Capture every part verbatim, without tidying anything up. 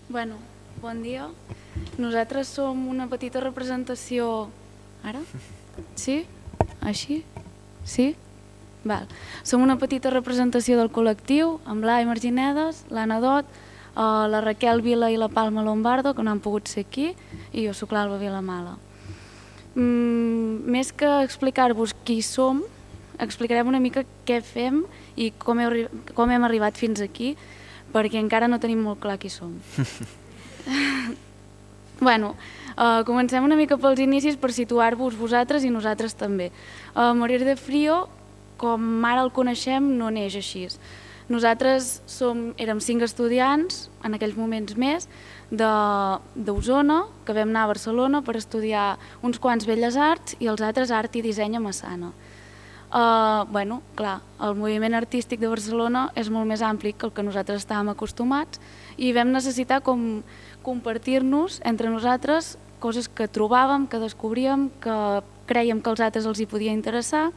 Bueno, bon dia. Nosaltres som una petita representació... Ara? Sí? Així? Sí? Val. Som una petita representació del col·lectiu, amb l'Ai Marginedes, l'Anna Dot, la Raquel Vila i la Palma Lombardo, que no han pogut ser aquí, i jo soc l'Alba Vilamala. Més que explicar-vos qui som, explicarem una mica què fem i com hem arribat fins aquí, perquè encara no tenim molt clar qui som. Bueno, comencem una mica pels inicis per situar-vos vosaltres i nosaltres també. Morir de Frío, com ara el coneixem, no neix així. Nosaltres érem cinc estudiants, en aquells moments més, d'Osona, que vam anar a Barcelona per estudiar uns quants Belles Arts i els altres Art i Disseny a Massana. Bueno, clar, el moviment artístic de Barcelona és molt més ampli que el que nosaltres estàvem acostumats i vam necessitar com compartir-nos entre nosaltres coses que trobàvem, que descobríem, que crèiem que als altres els hi podia interessar,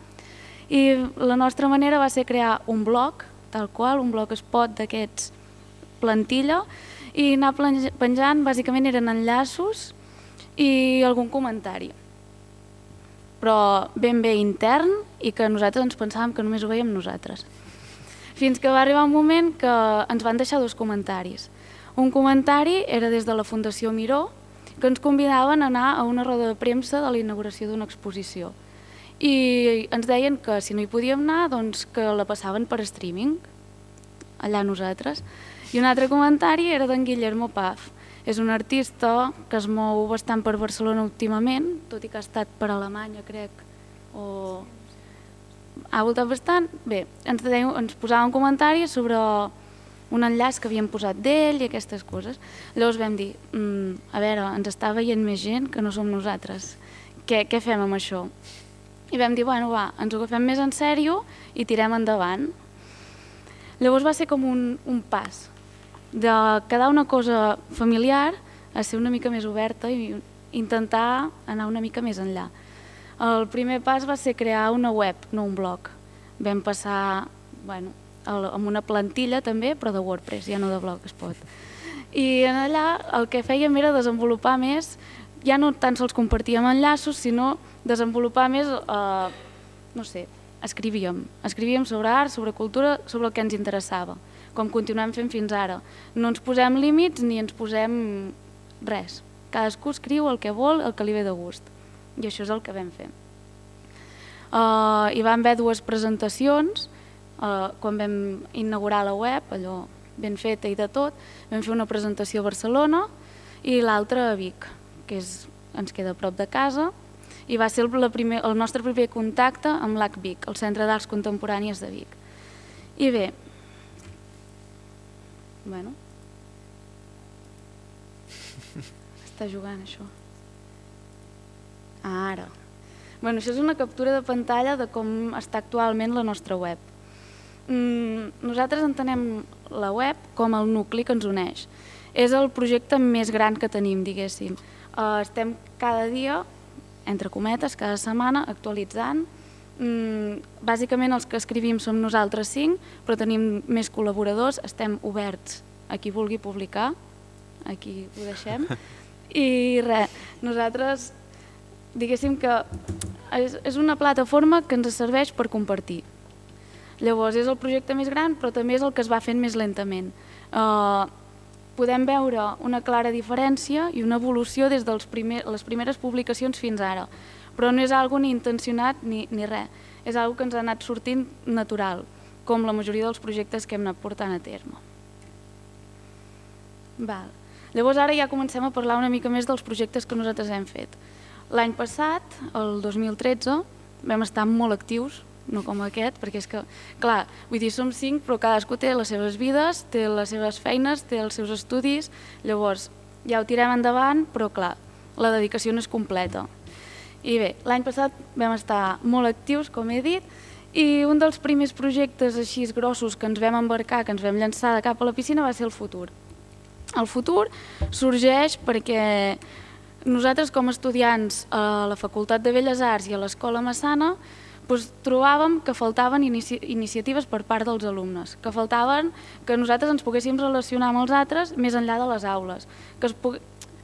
i la nostra manera va ser crear un blog, tal qual, un blogspot d'aquests plantilla, i anar penjant, bàsicament eren enllaços i algun comentari, però ben bé intern i que nosaltres ens pensàvem que només ho veiem nosaltres. Fins que va arribar un moment que ens van deixar dos comentaris. Un comentari era des de la Fundació Miró, que ens convidaven a anar a una roda de premsa de la inauguració d'una exposició. I ens deien que si no hi podíem anar, doncs que la passaven per streaming, allà nosaltres. I un altre comentari era d'en Guillermo Paz. És un artista que es mou bastant per Barcelona últimament, tot i que ha estat per Alemanya, crec, o... ha voltat bastant. Bé, ens posava un comentari sobre un enllaç que havíem posat d'ell i aquestes coses. Llavors vam dir, a veure, ens està veient més gent que no som nosaltres. Què fem amb això? I vam dir, bueno, va, ens ho agafem més en sèrio i tirem endavant. Llavors va ser com un pas de quedar una cosa familiar a ser una mica més oberta i intentar anar una mica més enllà. El primer pas va ser crear una web, no un blog. Vam passar, bueno, amb una plantilla també, però de WordPress, ja no de Blogspot. I allà el que fèiem era desenvolupar més, ja no tan sols compartíem enllaços, sinó desenvolupar més, no sé, escrivíem. Escrivíem sobre art, sobre cultura, sobre el que ens interessava, com continuem fent fins ara. No ens posem límits ni ens posem res. Cadascú escriu el que vol, el que li ve de gust. I això és el que vam fer. Hi van haver dues presentacions, quan vam inaugurar la web, allò ben feta i de tot, vam fer una presentació a Barcelona i l'altra a Vic, que ens queda a prop de casa, i va ser el nostre primer contacte amb l'A C Vic, el Centre d'Arts Contemporànies de Vic. I bé, bueno, està jugant això. Ara. Bueno, això és una captura de pantalla de com està actualment la nostra web. Nosaltres entenem la web com el nucli que ens uneix. És el projecte més gran que tenim, diguéssim. Estem cada dia, entre cometes, cada setmana, actualitzant. Bàsicament els que escrivim som nosaltres cinc, però tenim més col·laboradors, estem oberts a qui vulgui publicar, aquí ho deixem. I res, nosaltres, diguéssim que és una plataforma que ens serveix per compartir. Llavors és el projecte més gran, però també és el que es va fent més lentament. Podem veure una clara diferència i una evolució des de les primeres publicacions fins ara, però no és algo ni intencionat ni res, és algo que ens ha anat sortint natural, com la majoria dels projectes que hem anat portant a terme. Llavors ara ja comencem a parlar una mica més dels projectes que nosaltres hem fet. L'any passat, el dos mil tretze, vam estar molt actius, no com aquest, perquè és que, clar, vull dir, som cinc, però cadascú té les seves vides, té les seves feines, té els seus estudis, llavors ja ho tirem endavant, però clar, la dedicació no és completa. I bé, l'any passat vam estar molt actius, com he dit, i un dels primers projectes així grossos que ens vam embarcar, que ens vam llançar de cap a la piscina, va ser el Futur. El Futur sorgeix perquè nosaltres com a estudiants a la Facultat de Belles Arts i a l'Escola Massana doncs trobàvem que faltaven inici iniciatives per part dels alumnes, que faltaven que nosaltres ens poguéssim relacionar amb els altres més enllà de les aules, que es pugui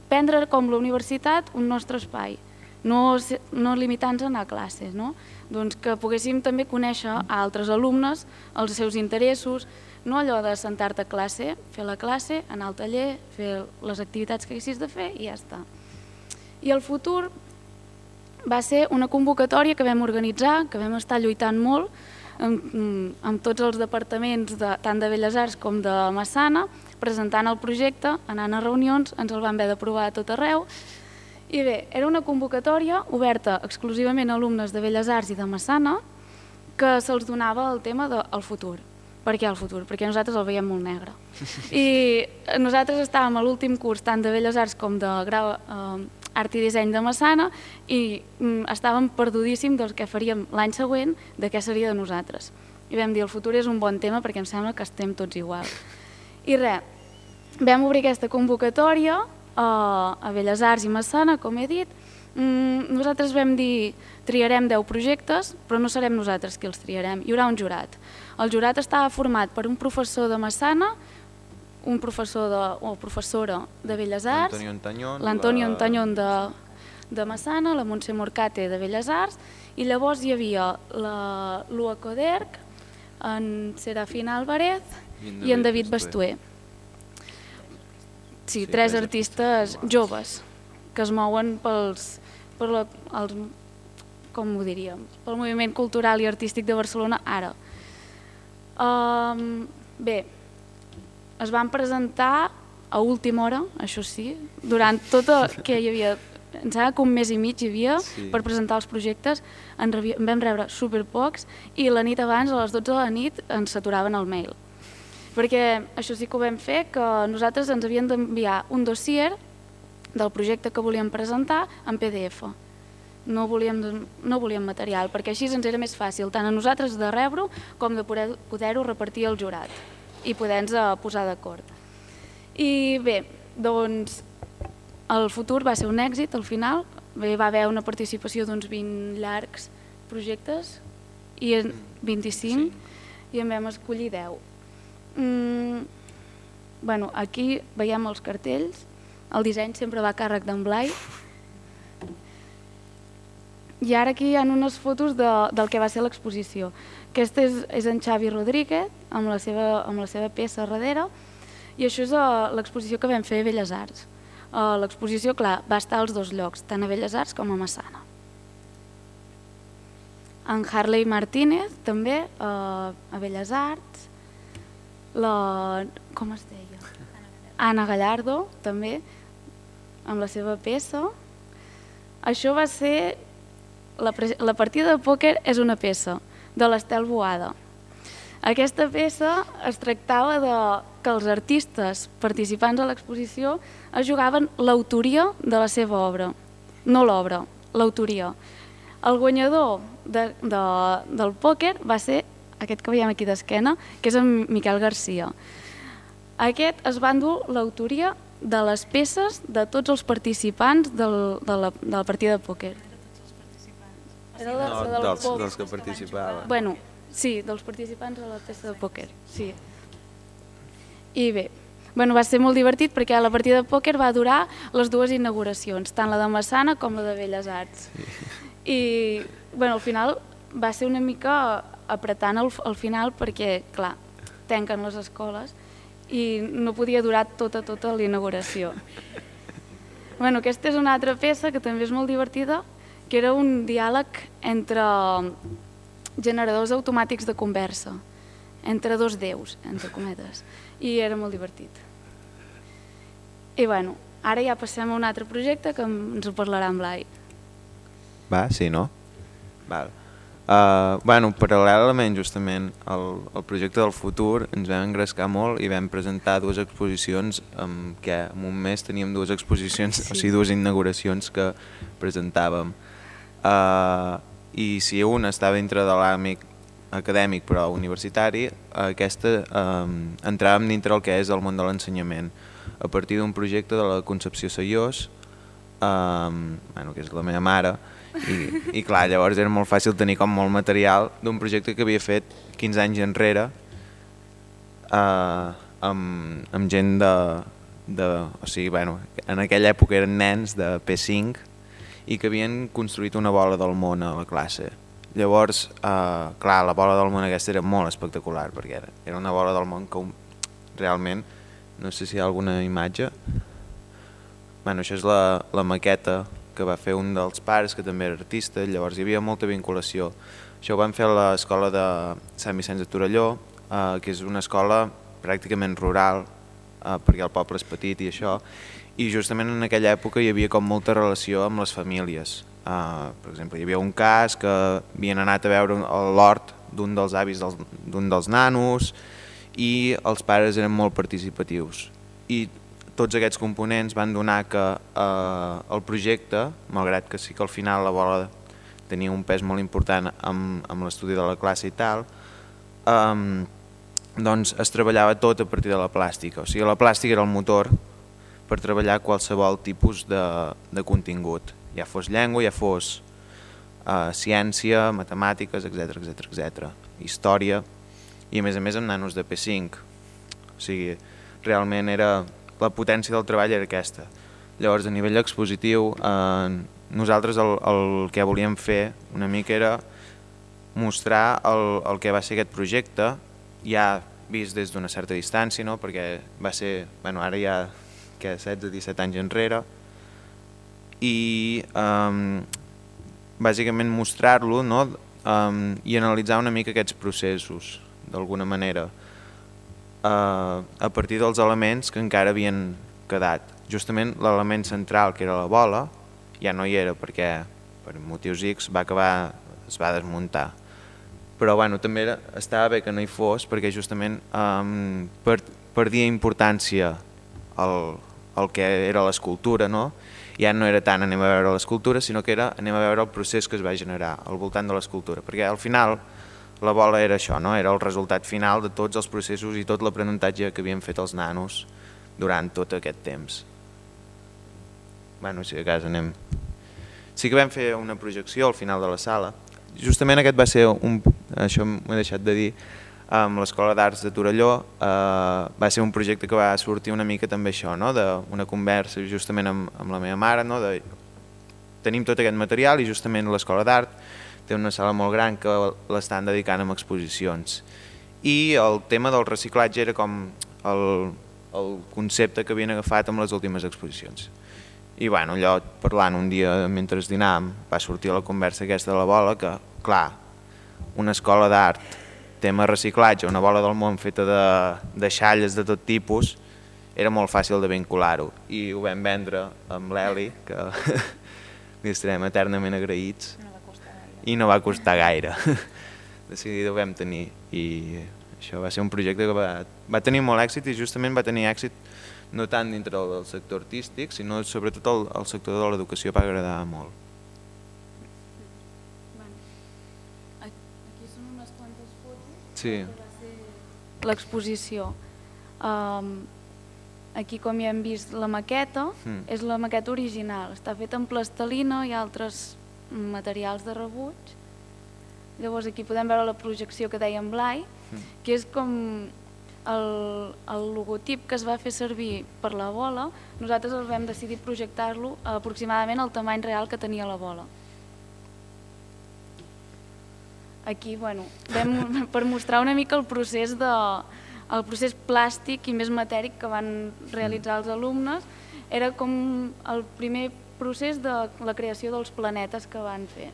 prendre com la universitat un nostre espai, no, no limitant-nos a anar a classes, no? Doncs que poguéssim també conèixer a altres alumnes, els seus interessos, no allò de sentar-te a classe, fer la classe, anar al taller, fer les activitats que haguessis de fer i ja està. I el futur va ser una convocatòria que vam organitzar, que vam estar lluitant molt amb, amb tots els departaments, de, tant de Belles Arts com de Massana, presentant el projecte, anant a reunions, ens el van haver d'aprovar a tot arreu. I bé, era una convocatòria oberta exclusivament a alumnes de Belles Arts i de Massana que se'ls donava el tema del futur. Per què el futur? Perquè nosaltres el veiem molt negre. I nosaltres estàvem a l'últim curs tant de Belles Arts com de grau eh, Art i Disseny de Massana i mm, estàvem perdudíssims del que faríem l'any següent, de què seria de nosaltres. I vam dir, el futur és un bon tema perquè em sembla que estem tots igual. I res, vam obrir aquesta convocatòria eh, a Belles Arts i Massana, com he dit. Mm, nosaltres vam dir, triarem deu projectes, però no serem nosaltres qui els triarem, hi haurà un jurat. El jurat estava format per un professor de Massana, un professor de, o professora de Belles Arts, l'Antonio Antañón de, de Massana, la Montse Morcate de Belles Arts, i llavors hi havia la Lua Coderc, en Serafina Álvarez i en David Bastuer. Sí, tres artistes joves que es mouen pels, per la, els, com ho diríem, pel moviment cultural i artístic de Barcelona ara. Um, bé, es van presentar a última hora, això sí, durant tot el que hi havia, em sembla que un mes i mig hi havia sí. per presentar els projectes, en, rebi, en vam rebre superpocs i la nit abans, a les dotze de la nit, ens saturaven el mail. Perquè això sí que ho vam fer, que nosaltres ens havien d'enviar un dossier del projecte que volíem presentar en P D F. No volíem, no volíem material, perquè així ens era més fàcil, tant a nosaltres de rebre-ho com de poder-ho repartir al jurat i poder-nos posar d'acord. I bé, doncs el futur va ser un èxit al final, bé, va haver una participació d'uns vint llargs projectes, i vint-i-cinc, sí. I en vam escollir deu. Mm, bueno, aquí veiem els cartells, el disseny sempre va a càrrec d'en Blai, i ara aquí hi ha unes fotos de, del que va ser l'exposició. Aquesta és, és en Xavi Rodríguez, amb la, seva, amb la seva peça darrere, i això és uh, l'exposició que vam fer a Belles Arts. Uh, l'exposició, clar, va estar als dos llocs, tant a Belles Arts com a Massana. En Harley Martínez, també, uh, a Belles Arts. La... com es deia? Anna Gallardo, també, amb la seva peça. Això va ser... La, la partida de pòquer és una peça de l'Estel Boada. Aquesta peça es tractava de que els artistes participants a l'exposició es jugaven l'autoria de la seva obra, no l'obra, l'autoria. El guanyador de, de, del pòquer va ser aquest que veiem aquí d'esquena, que és en Miquel Garcia. Aquest es va endur l'autoria de les peces de tots els participants del, de, la, de la partida de pòquer. Era la, no, la dels, dels que participaven. Bueno, sí, dels participants a la peça de pòquer, sí. I bé, bueno, va ser molt divertit perquè la partida de pòquer va durar les dues inauguracions, tant la de Massana com la de Belles Arts. Sí. I bueno, al final va ser una mica apretant al, al final perquè, clar, tanquen les escoles i no podia durar tota, tota la inauguració. Bueno, aquesta és una altra peça que també és molt divertida, que era un diàleg entre generadors automàtics de conversa, entre dos déus, entre cometes, i era molt divertit. I bueno, ara ja passem a un altre projecte que ens ho parlarà en Blai. Va, sí, no? Val. Uh, bueno, paral·lelament justament al, al projecte del futur ens vam engrescar molt i vam presentar dues exposicions en què en un mes teníem dues exposicions, sí. O sigui, dues inauguracions que presentàvem. Uh, i si una estava dintre de l'àmbit acadèmic però universitari, aquesta um, entràvem dintre el que és el món de l'ensenyament a partir d'un projecte de la Concepció Sayós, um, bueno, que és la meva mare, I, i clar, llavors era molt fàcil tenir com molt material d'un projecte que havia fet quinze anys enrere eh, amb, amb gent de, de... O sigui, bueno, en aquella època eren nens de P cinc i que havien construït una bola del món a la classe. Llavors, eh, clar, la bola del món aquesta era molt espectacular perquè era, era una bola del món que un, realment, no sé si hi ha alguna imatge. Bueno, això és la, la maqueta que va fer un dels pares, que també era artista, llavors hi havia molta vinculació. Això ho van fer a l'escola de Sant Vicenç de Torelló, eh, que és una escola pràcticament rural, eh, perquè el poble és petit i això, i justament en aquella època hi havia com molta relació amb les famílies. Uh, per exemple, hi havia un cas que havien anat a veure l'hort d'un dels avis d'un dels nanos i els pares eren molt participatius. I tots aquests components van donar que uh, el projecte, malgrat que sí que al final la bola tenia un pes molt important amb, amb l'estudi de la classe i tal, um, doncs es treballava tot a partir de la plàstica. O sigui, la plàstica era el motor per treballar qualsevol tipus de, de contingut, ja fos llengua, ja fos uh, ciència, matemàtiques, etcètera, etcètera, etcètera, història, i a més a més amb nanos de P cinc. O sigui, realment era, la potència del treball era aquesta. Llavors, a nivell expositiu, eh, nosaltres el, el que volíem fer una mica era mostrar el, el que va ser aquest projecte, ja vist des d'una certa distància, no? Perquè va ser, bueno, ara ja que setze o disset anys enrere, i um, bàsicament mostrar-lo, no? um, i analitzar una mica aquests processos, d'alguna manera, uh, a partir dels elements que encara havien quedat. Justament l'element central, que era la bola, ja no hi era perquè per motius X va acabar, es va desmuntar. Però bueno, també era, estava bé que no hi fos perquè justament um, per, perdia importància el, el que era l'escultura, no? Ja no era tant anem a veure l'escultura, sinó que era anem a veure el procés que es va generar al voltant de l'escultura, perquè al final la bola era això, no? Era el resultat final de tots els processos i tot l'aprenentatge que havien fet els nanos durant tot aquest temps. Bueno, si de cas anem... Sí que vam fer una projecció al final de la sala. Justament aquest va ser un... això m'ho he deixat de dir, amb l'Escola d'Arts de Torelló, eh, va ser un projecte que va sortir una mica també això, no? D'una conversa justament amb, amb la meva mare, no? De, tenim tot aquest material i justament l'Escola d'Art té una sala molt gran que l'estan dedicant a exposicions. I el tema del reciclatge era com el, el concepte que havien agafat amb les últimes exposicions. I bueno, allò parlant un dia mentre dinàvem va sortir la conversa aquesta de la bola que, clar, una escola d'art, tema reciclatge, una bola del món feta de, de xalles de tot tipus, era molt fàcil de vincular-ho. I ho vam vendre amb l'Eli, que li estarem eternament agraïts, no va costar gaire. I no va costar gaire. De seguida ho vam tenir. I això va ser un projecte que va, va tenir molt èxit i justament va tenir èxit no tant dintre del sector artístic, sinó sobretot el, el sector de l'educació va agradar molt. Aquí són unes quantes fotos sí. que va ser l'exposició. Um, aquí, com ja hem vist, la maqueta mm. és la maqueta original. Està feta en plastelina i altres materials de rebuig. Llavors aquí podem veure la projecció que deia en Blai, mm. que és com el, el logotip que es va fer servir per la bola. Nosaltres el vam decidir projectar-lo aproximadament al tamany real que tenia la bola. Aquí, bueno, vam, per mostrar una mica el procés, de, el procés plàstic i més matèric que van realitzar els alumnes, era com el primer procés de la creació dels planetes que van fer.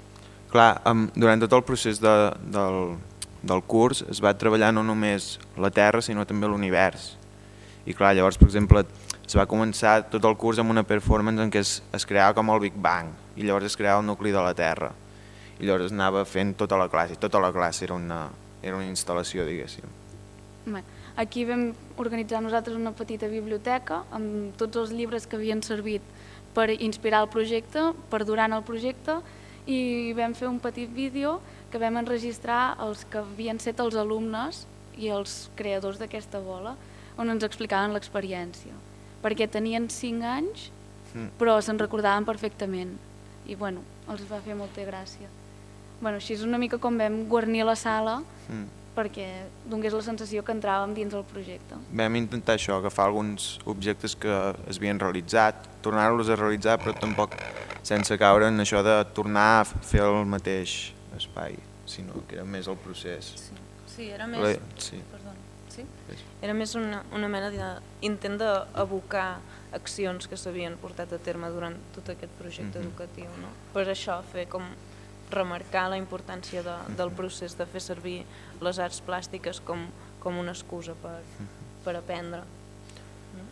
Clar, um, durant tot el procés de, del, del curs es va treballar no només la Terra, sinó també l'univers. I clar, llavors, per exemple, es va començar tot el curs amb una performance en què es, es creava com el Big Bang, i llavors es creava el nucli de la Terra. I llavors anava fent tota la classe, i tota la classe era una, era una instal·lació, diguéssim. Aquí vam organitzar nosaltres una petita biblioteca amb tots els llibres que havien servit per inspirar el projecte, per durant el projecte, i vam fer un petit vídeo que vam enregistrar els que havien set els alumnes i els creadors d'aquesta bola, on ens explicaven l'experiència. Perquè tenien cinc anys, però se'n recordaven perfectament. i bueno, els va fer molta gràcia. Bueno, així és una mica com vam guarnir la sala mm. perquè donés la sensació que entràvem dins el projecte. Vam intentar això, agafar alguns objectes que es havien realitzat, tornar-los a realitzar, però tampoc sense caure en això de tornar a fer el mateix espai, sinó que era més el procés. Sí, sí era més... Le... Sí. Perdona. Sí? Era més una, una mena d'intent d'abocar accions que s'havien portat a terme durant tot aquest projecte mm-hmm. educatiu, no? Per això fer com remarcar la importància de, del procés de fer servir les arts plàstiques com, com una excusa per, per aprendre. No?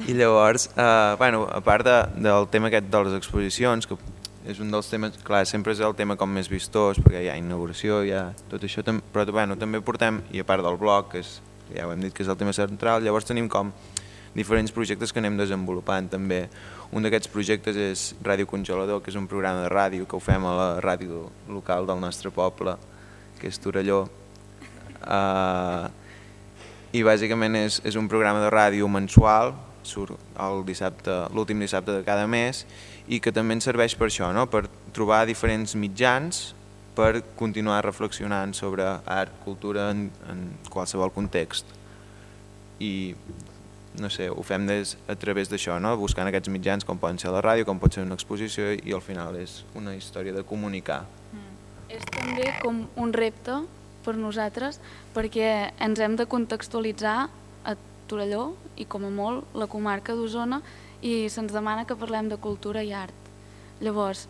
I llavors, eh, bueno, a part de, del tema aquest de les exposicions, que és un dels temes, clar, sempre és el tema com més vistós, perquè hi ha inauguració, hi ha tot això, però bueno, també portem, i a part del blog, que és, ja ho hem dit que és el tema central, llavors tenim com diferents projectes que anem desenvolupant també. Un d'aquests projectes és Ràdio Congelador, que és un programa de ràdio que ho fem a la ràdio local del nostre poble, que és Torelló. Uh, I bàsicament és, és un programa de ràdio mensual, surt el dissabte, l'últim dissabte de cada mes, i que també ens serveix per això, no? Per trobar diferents mitjans per continuar reflexionant sobre art, cultura en, en qualsevol context. I no sé, ho fem des, a través d'això, no? Buscant aquests mitjans com poden ser la ràdio, com pot ser una exposició, i al final és una història de comunicar. Mm. És també com un repte per nosaltres, perquè ens hem de contextualitzar a Torelló i com a molt la comarca d'Osona, i se'ns demana que parlem de cultura i art. Llavors,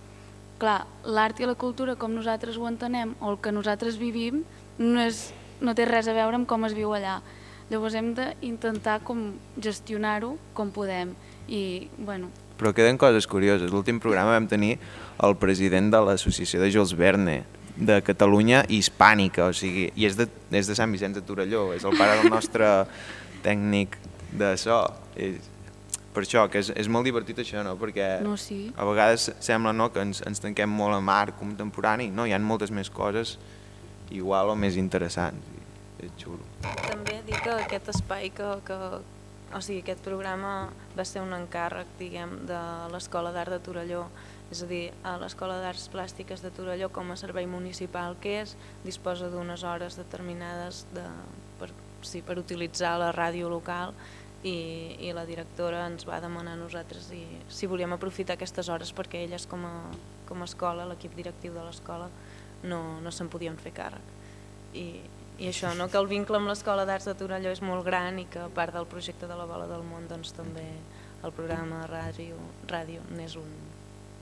clar, l'art i la cultura com nosaltres ho entenem o el que nosaltres vivim no, és, no té res a veure amb com es viu allà. Llavors hem d'intentar com gestionar-ho com podem. I, bueno... Però queden coses curioses. L'últim programa vam tenir el president de l'associació de Jules Verne, de Catalunya i Hispànica, o sigui, i és de, és de Sant Vicenç de Torelló, és el pare del nostre tècnic de so. És, per això, que és, és molt divertit això, no? Perquè no, sí. A vegades sembla, no, que ens, ens tanquem molt en art contemporani, no? Hi ha moltes més coses igual o més interessants. És xulo. També dir que aquest espai, que, que, o sigui, aquest programa va ser un encàrrec, diguem, de l'Escola d'Art de Torelló, és a dir, a l'Escola d'Arts Plàstiques de Torelló, com a servei municipal que és, disposa d'unes hores determinades de, per, sí, per utilitzar la ràdio local, i, i la directora ens va demanar a nosaltres i, si volíem aprofitar aquestes hores, perquè elles com a, com a escola, l'equip directiu de l'escola, no, no se'n podien fer càrrec. I, I això, no? Que el vincle amb l'Escola d'Arts de Torelló és molt gran i que a part del projecte de la Bola del Món, doncs també el programa de ràdio, ràdio n'és un,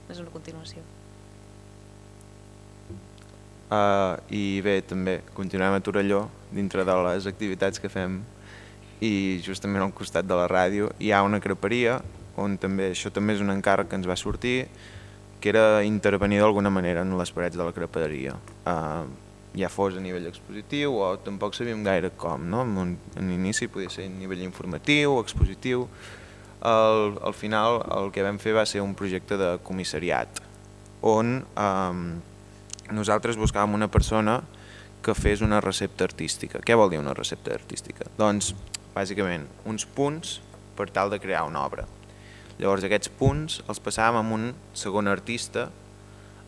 és una continuació. Uh, I bé, també continuem a Torelló, dintre de les activitats que fem, i justament al costat de la ràdio hi ha una creperia, on també, això també és un encàrrec que ens va sortir, que era intervenir d'alguna manera en les parets de la creperia. Uh, ja fos a nivell expositiu o tampoc sabíem gaire com, no? En, en inici podia ser a nivell informatiu, expositiu. Al, al final el que vam fer va ser un projecte de comissariat, on um, nosaltres buscàvem una persona que fes una recepta artística. Què vol dir una recepta artística? Doncs, bàsicament, uns punts per tal de crear una obra. Llavors aquests punts els passàvem a un segon artista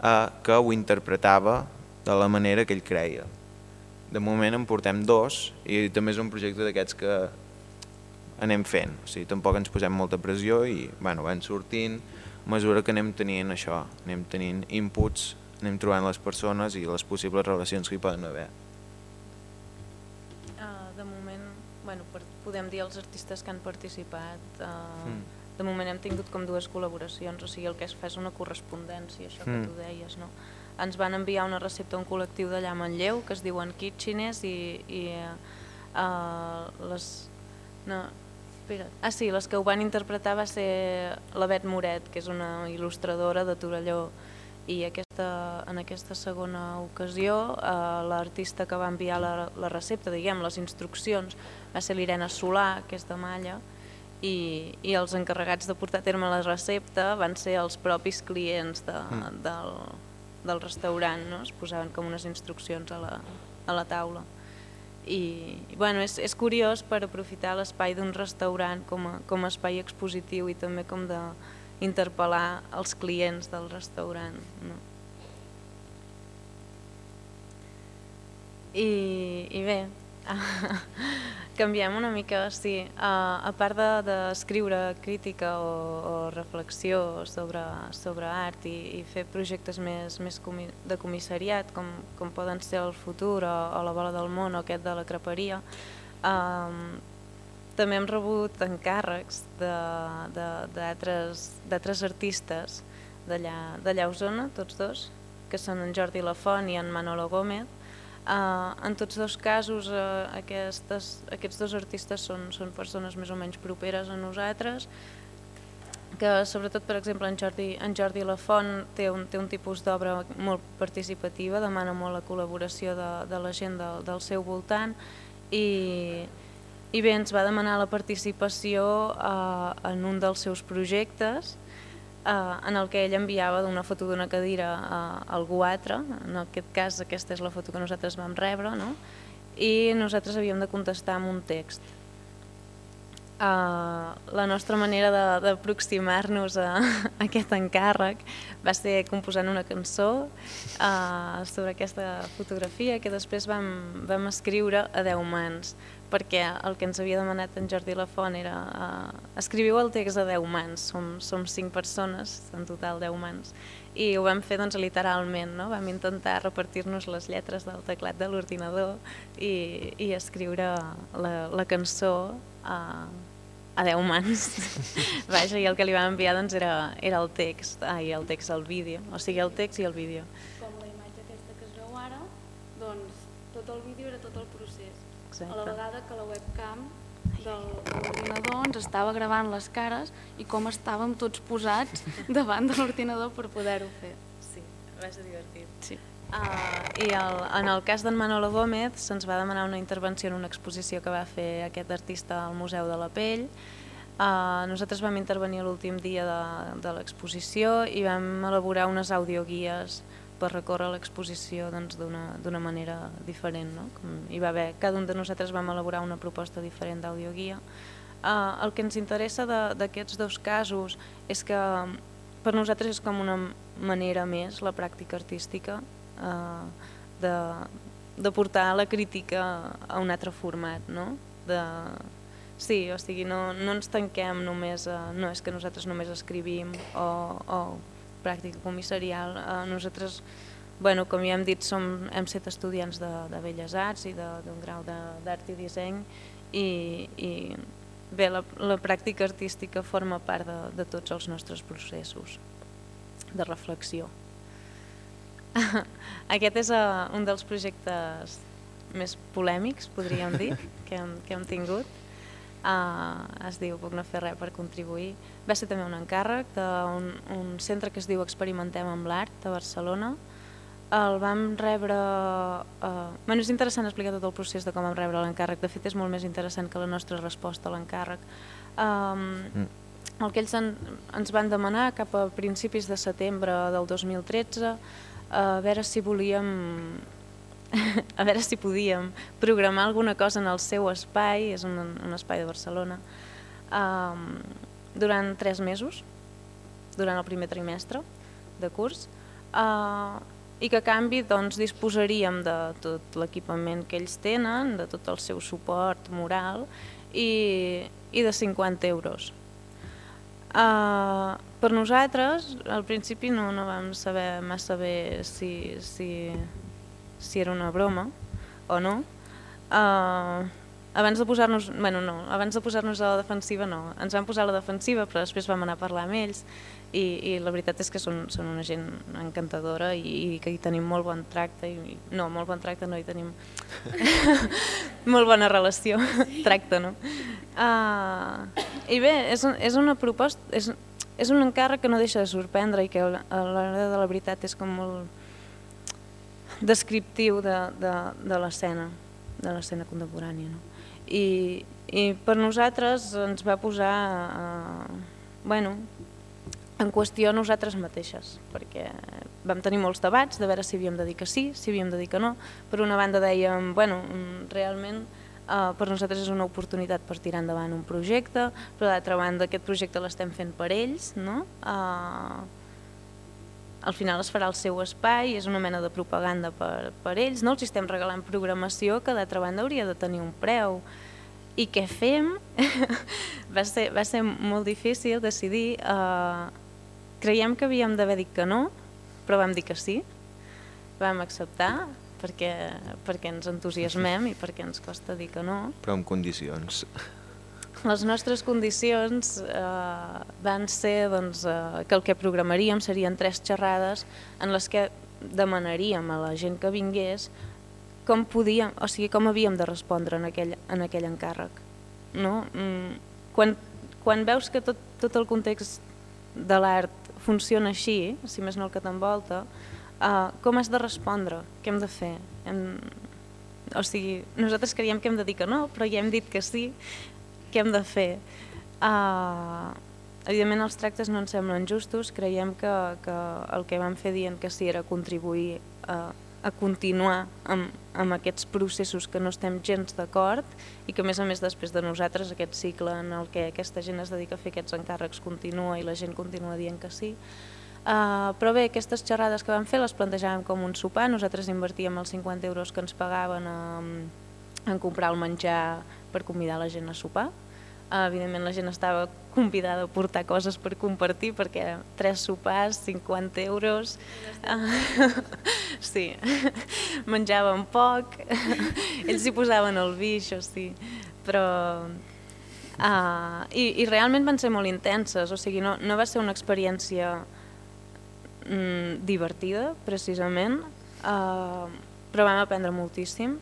eh, que ho interpretava de la manera que ell creia. De moment en portem dos i també és un projecte d'aquests que anem fent, o sigui, tampoc ens posem molta pressió i bueno, van sortint a mesura que anem tenint això, anem tenint inputs, anem trobant les persones i les possibles relacions que hi poden haver. Uh, de moment, bueno, per, podem dir els artistes que han participat, uh, mm. de moment hem tingut com dues col·laboracions, o sigui, el que es fa és una correspondència, això que mm. tu deies, no? Ens van enviar una recepta a un col·lectiu d'allà a Manlleu que es diuen Kitcheners i, i uh, les... No, espera. Ah, sí, les que ho van interpretar va ser la Bet Moret, que és una il·lustradora de Torelló, i aquesta, en aquesta segona ocasió uh, l'artista que va enviar la, la recepta, diguem, les instruccions, va ser l'Irene Solà, que és de Malla, i, i els encarregats de portar a terme la recepta van ser els propis clients de, mm. del... del restaurant, no? Es posaven com unes instruccions a la, a la taula. I, i bueno, és, és curiós per aprofitar l'espai d'un restaurant com a, com a espai expositiu i també com de interpel·lar els clients del restaurant. No? I, i bé, canviem una mica, sí, a, a part d'escriure de, crítica o, o reflexió sobre, sobre art i, i fer projectes més, més comi, de comissariat, com, com poden ser el Futur o, o la Bola del Món o aquest de la Creperia, um, també hem rebut encàrrecs d'altres artistes d'allà a Osona, tots dos, que són en Jordi Lafont i en Manolo Gómez. Uh, en tots dos casos uh, aquestes, aquests dos artistes són, són persones més o menys properes a nosaltres, que sobretot, per exemple, en Jordi, en Jordi Lafont té un, té un tipus d'obra molt participativa, demana molt la col·laboració de, de la gent del, del seu voltant i, i bé, ens va demanar la participació uh, en un dels seus projectes, Uh, en el que ell enviava una foto d'una cadira uh, a algú altre, en aquest cas aquesta és la foto que nosaltres vam rebre, no? I nosaltres havíem de contestar amb un text. Uh, la nostra manera d'aproximar-nos a, a aquest encàrrec va ser composant una cançó uh, sobre aquesta fotografia que després vam, vam escriure a deu mans, perquè el que ens havia demanat en Jordi Lafont era uh, escriviu el text a deu mans, som, som cinc persones, en total deu mans, i ho vam fer doncs, literalment, no? Vam intentar repartir-nos les lletres del teclat de l'ordinador i, i escriure la, la cançó a, a deu mans. Vaja, i el que li vam enviar doncs, era, era el text, ai, el text, el vídeo, o sigui, el text i el vídeo. Com la imatge aquesta que es veu ara, doncs tot el vídeo era tot el procés. Exacte. A la vegada que la webcam de l'ordinador ens estava gravant les cares i com estàvem tots posats davant de l'ordinador per poder-ho fer. Sí, va ser divertit. Sí. Uh, I el, en el cas d'en Manolo Gómez se'ns va demanar una intervenció en una exposició que va fer aquest artista al Museu de la Pell. Uh, nosaltres vam intervenir l'últim dia de, de l'exposició i vam elaborar unes audioguies per recórrer l'exposició doncs, d'una manera diferent. No? Com hi va haver, cada un de nosaltres vam elaborar una proposta diferent d'audioguia. Uh, el que ens interessa d'aquests dos casos és que per nosaltres és com una manera més, la pràctica artística, uh, de, de portar la crítica a un altre format. No? De, sí, o sigui, no, no ens tanquem només, a, no és que nosaltres només escrivim o, o pràctica comissarial. Uh, nosaltres, bueno, com ja hem dit, som, hem set estudiants de, de Belles Arts i d'un grau d'art i disseny i, i bé, la, la pràctica artística forma part de, de tots els nostres processos de reflexió. Aquest és uh, un dels projectes més polèmics, podríem dir, que hem, que hem tingut. Uh, es diu Puc no fer res per contribuir. Va ser també un encàrrec d'un un centre que es diu Experimentem amb l'Art de Barcelona. El vam rebre... Uh, bueno, és interessant explicar tot el procés de com vam rebre l'encàrrec. De fet, és molt més interessant que la nostra resposta a l'encàrrec. Um, mm. El que ells en, ens van demanar cap a principis de setembre del dos mil tretze, uh, a veure si volíem... a veure si podíem programar alguna cosa en el seu espai, és un, un espai de Barcelona, um, durant tres mesos, durant el primer trimestre de curs, uh, i que a canvi doncs, disposaríem de tot l'equipament que ells tenen, de tot el seu suport moral i, i de cinquanta euros. Uh, per nosaltres, al principi no, no vam saber massa bé si... si si era una broma o no. Uh, abans de posar-nos, bueno, no, abans de posar-nos a la defensiva no, ens vam posar a la defensiva però després vam anar a parlar amb ells i, i la veritat és que són, són una gent encantadora i, i que hi tenim molt bon tracte, i, no, molt bon tracte no, hi tenim molt bona relació, tracte no. Uh, I bé, és, un, és una proposta, és, és un encàrrec que no deixa de sorprendre i que a l'hora de la veritat és com molt descriptiu de, de, de l'escena, de l'escena contemporània. No? I, I per nosaltres ens va posar eh, bueno, en qüestió nosaltres mateixes, perquè vam tenir molts debats de veure si havíem de dir que sí, si havíem de dir que no. Per una banda dèiem, bueno, realment Uh, per nosaltres és una oportunitat per tirar endavant un projecte, però d'altra banda aquest projecte l'estem fent per ells, no? Uh, al final es farà el seu espai, és una mena de propaganda per, per ells, no? Els estem regalant programació que d'altra banda hauria de tenir un preu. I què fem? va, ser, va ser molt difícil decidir. Uh, creiem que havíem d'haver dit que no, però vam dir que sí, vam acceptar, perquè, perquè ens entusiasmem i perquè ens costa dir que no. Però amb condicions. Les nostres condicions eh, van ser doncs, eh, que el que programaríem serien tres xerrades en les que demanaríem a la gent que vingués com podíem, o sigui, com havíem de respondre en aquell, en aquell encàrrec. No? Quan, quan veus que tot, tot el context de l'art funciona així, si més no el que t'envolta, Uh, com has de respondre? Què hem de fer? Hem... O sigui, nosaltres creiem que hem de dir que no, però ja hem dit que sí. Què hem de fer? Uh, evidentment els tractes no ens semblen justos, creiem que, que el que vam fer dient que sí era contribuir a, a continuar amb, amb aquests processos que no estem gens d'acord i que a més a més després de nosaltres aquest cicle en el que aquesta gent es dedica a fer aquests encàrrecs continua i la gent continua dient que sí. Uh, però bé, aquestes xerrades que vam fer les plantejàvem com un sopar, nosaltres invertíem els cinquanta euros que ens pagaven en, en comprar el menjar per convidar la gent a sopar. Uh, evidentment la gent estava convidada a portar coses per compartir perquè eren tres sopars, cinquanta euros, uh, sí, menjaven poc, ells hi posaven el vi, això sí, però... Uh, i, i realment van ser molt intenses, o sigui, no, no va ser una experiència divertida, precisament, uh, però vam aprendre moltíssim.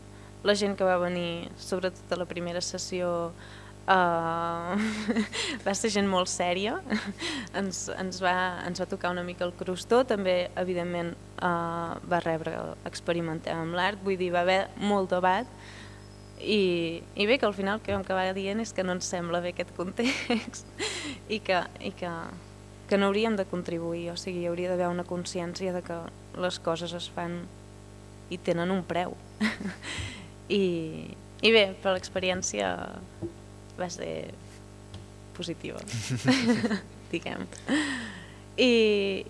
La gent que va venir, sobretot a la primera sessió, uh, va ser gent molt sèria, ens, ens, va, ens va tocar una mica el crostó, també, evidentment, uh, va rebre experimentem amb l'art, vull dir, va haver molt debat, i, i bé, que al final el que vam acabar dient és que no ens sembla bé aquest context i que... I que que no hauríem de contribuir, o sigui, hi hauria d'haver una consciència de que les coses es fan i tenen un preu. I, i bé, però l'experiència va ser positiva, diguem. I,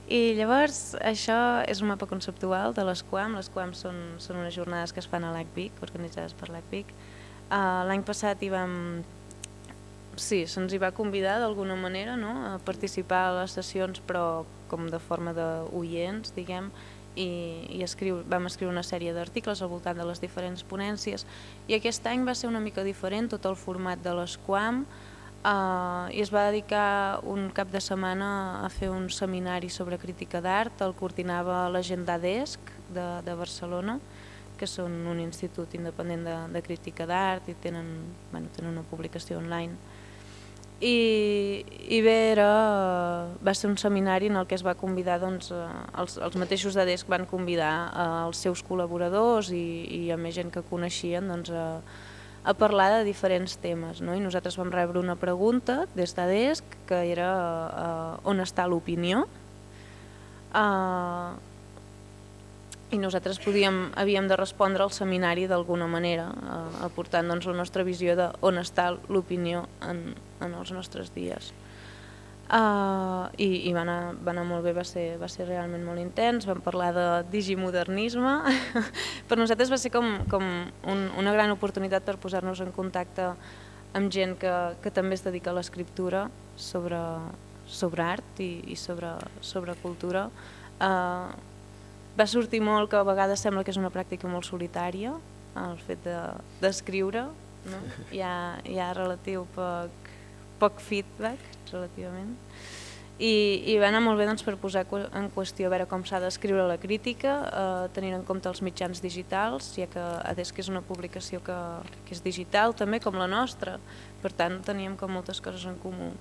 I llavors això és un mapa conceptual de l'ESCUAM. L'ESCUAM són, són unes jornades que es fan a l'A C V I C, organitzades per l'A C V I C. Uh, L'any passat hi vam... Sí, se'ns hi va convidar d'alguna manera, no?, a participar a les sessions, però com de forma d'oients, diguem, i, i escriu, vam escriure una sèrie d'articles al voltant de les diferents ponències, i aquest any va ser una mica diferent tot el format de l'ESCUAM, eh, i es va dedicar un cap de setmana a fer un seminari sobre crítica d'art, el coordinava la gent d'ADESC de, de Barcelona, que són un institut independent de, de crítica d'art i tenen, bueno, tenen una publicació online. I, i bé, era, va ser un seminari en el que es va convidar, doncs, els, els mateixos d'ADESC van convidar els seus col·laboradors i, i a més gent que coneixien, doncs, a, a parlar de diferents temes, no? I nosaltres vam rebre una pregunta des d'ADESC que era uh, on està l'opinió? Uh, I nosaltres podíem, havíem de respondre al seminari d'alguna manera, eh, aportant doncs, la nostra visió de on està l'opinió en, en els nostres dies. Uh, I i va, anar, va anar molt bé, va ser, va ser realment molt intens, vam parlar de digimodernisme. Per nosaltres va ser com, com un, una gran oportunitat per posar-nos en contacte amb gent que, que també es dedica a l'escriptura sobre, sobre art i, i sobre, sobre cultura. Uh, Va sortir molt que a vegades sembla que és una pràctica molt solitària, el fet d'escriure, de, no? hi, ha, hi ha relatiu poc, poc feedback, relativament. I, i va anar molt bé doncs, per posar en qüestió a veure com s'ha d'escriure la crítica, eh, tenint en compte els mitjans digitals, ja que ADESC és una publicació que, que és digital també, com la nostra, per tant teníem com moltes coses en comú.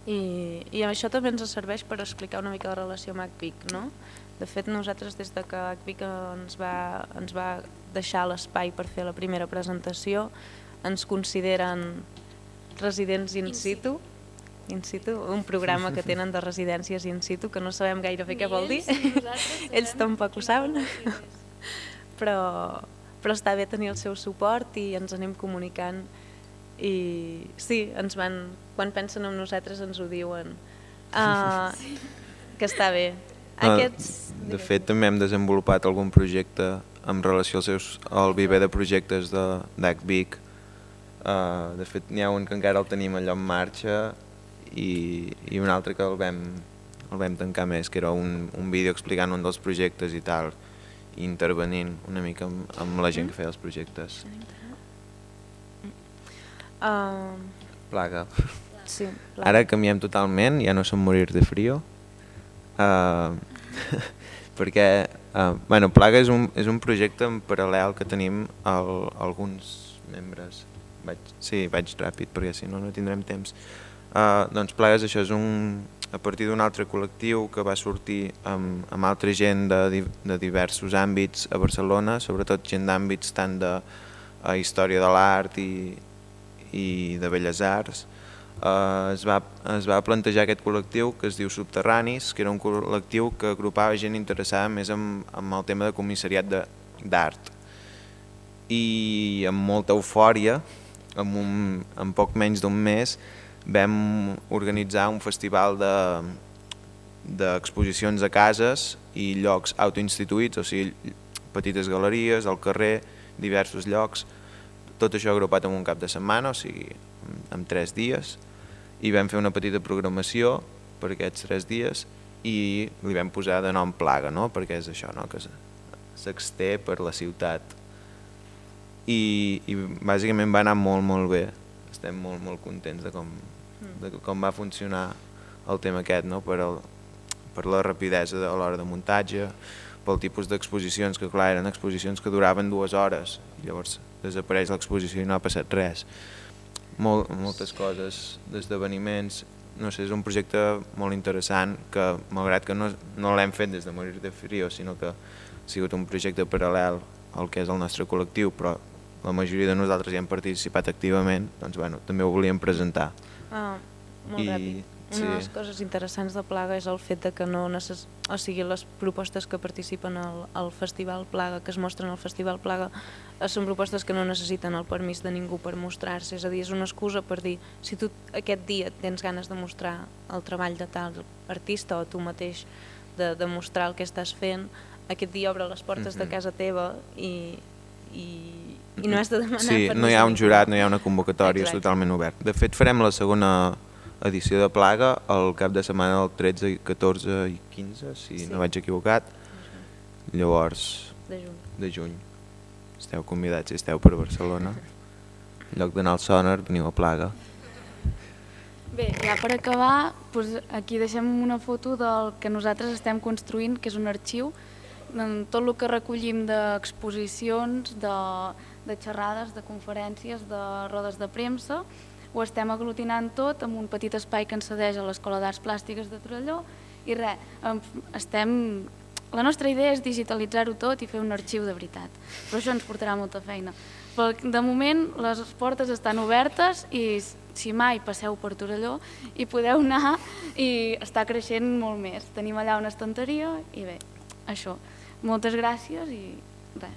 I, i això també ens serveix per explicar una mica la relació amb A C V I C, no? De fet, nosaltres des de que A C V I C ens va, ens va deixar l'espai per fer la primera presentació, ens consideren residents in situ, in situ, un programa que tenen de residències in situ, que no sabem gaire bé què vol dir, ells tampoc ho saben, però, però està bé tenir el seu suport i ens anem comunicant. I sí, ens van, quan pensen en nosaltres ens ho diuen, uh, sí. que està bé. Aquests... No, de fet, també hem desenvolupat algun projecte en relació als seus, al viver de projectes d'A C V I C. Uh, de fet, n'hi ha un que encara el tenim allò en marxa i, i un altre que el vam, el vam tancar més, que era un, un vídeo explicant un dels projectes i tal, i intervenint una mica amb, amb la gent que feia els projectes. Uh, Plaga. Sí, plaga. Ara canviem totalment, ja no som morir de frío, uh, perquè uh, bueno, Plaga és un, és un projecte en paral·lel que tenim el, alguns membres. Vaig, sí, vaig ràpid perquè si no no tindrem temps. Uh, doncs Plaga és això, és un, a partir d'un altre col·lectiu que va sortir amb, amb altra gent de, de diversos àmbits a Barcelona, sobretot gent d'àmbits tant de uh, història de l'art i, i de belles arts. Uh, es, va, es va plantejar aquest col·lectiu que es diu Subterranis, que era un col·lectiu que agrupava gent interessada més en, en el tema de comissariat d'art. I amb molta eufòria, en, un, en poc menys d'un mes, vam organitzar un festival d'exposicions de, a cases i llocs autoinstituïts, o sigui, petites galeries, al carrer, diversos llocs, tot això agrupat en un cap de setmana, o sigui, en tres dies, i vam fer una petita programació per aquests tres dies i li vam posar de nom Plaga, no? Perquè és això, no? Que s'exté per la ciutat. I, i bàsicament va anar molt, molt bé. Estem molt, molt contents de com, de com va funcionar el tema aquest, no? Per, el, per la rapidesa a l'hora de muntatge, pel tipus d'exposicions, que clar, eren exposicions que duraven dues hores, i llavors desapareix l'exposició i no ha passat res. Mol, moltes coses, d'esdeveniments, no sé, és un projecte molt interessant que, malgrat que no, no l'hem fet des de Morir de Frío, sinó que ha sigut un projecte paral·lel al que és el nostre col·lectiu, però la majoria de nosaltres hi hem participat activament, doncs bueno, també ho volíem presentar. Ah, molt I, ràpid. Una sí. de les coses interessants de Plaga és el fet de que no necess... o sigui, les propostes que participen al, al Festival Plaga, que es mostren al Festival Plaga, són propostes que no necessiten el permís de ningú per mostrar-se, és a dir, és una excusa per dir, si tu aquest dia tens ganes de mostrar el treball de tal artista o tu mateix de, de mostrar el que estàs fent, aquest dia obre les portes mm-hmm. de casa teva i, i, i no has de demanar sí, permís. No hi ha un jurat, no hi ha una convocatòria, Exacte. És totalment obert. De fet, farem la segona edició de Plaga el cap de setmana del tretze, catorze i quinze, si sí. no vaig equivocat. Llavors, de juny. de juny. Esteu convidats si esteu per Barcelona. En lloc d'anar al Sonar, veniu a Plaga. Bé, ja per acabar, doncs aquí deixem una foto del que nosaltres estem construint, que és un arxiu, tot el que recollim d'exposicions, de, de xerrades, de conferències, de rodes de premsa, ho estem aglutinant tot en un petit espai que ens cedeix a l'Escola d'Arts Plàstiques de Torelló i res, estem... La nostra idea és digitalitzar-ho tot i fer un arxiu de veritat, però això ens portarà molta feina. Però de moment les portes estan obertes i si mai passeu per Torelló hi podeu anar i està creixent molt més. Tenim allà una estanteria i bé, això. Moltes gràcies i res.